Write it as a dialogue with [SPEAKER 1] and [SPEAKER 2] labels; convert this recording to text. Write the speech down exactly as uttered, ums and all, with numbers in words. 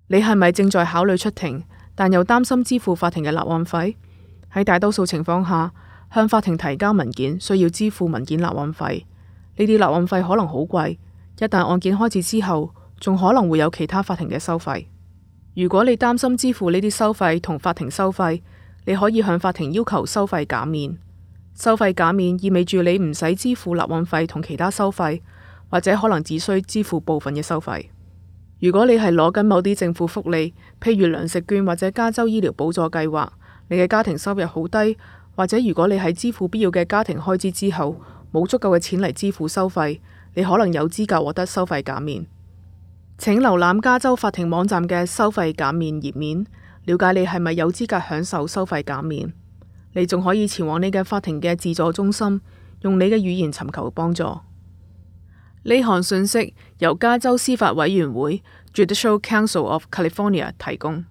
[SPEAKER 1] 你係咪正在考慮出庭，但又擔心支付法庭嘅立案費？喺大多數情況下，向法庭提交文件需要支付文件立案費。呢啲立案費可能好貴，一旦案件開始之後，仲可能會有其他法庭嘅收費。如果你擔心支付呢啲收費同法庭收費，你可以向法庭要求收費減免。收費減免意味住你唔使支付立案費同其他收費，或者可能只需支付部分嘅收費。如果你係攞緊某啲政府福利，譬如糧食券或者加州醫療補助計劃，你嘅家庭收入好低，或者如果你喺支付必要嘅家庭開支之後冇足夠嘅錢嚟支付收費，你可能有資格獲得收費減免。請瀏覽加州法庭網站嘅收費減免頁面，了解你係咪有資格享受收費減免。你仲可以前往你嘅法庭嘅自助中心，用你嘅語言尋求幫助。呢項信息由加州司法委員會 Judicial Council of California 提供。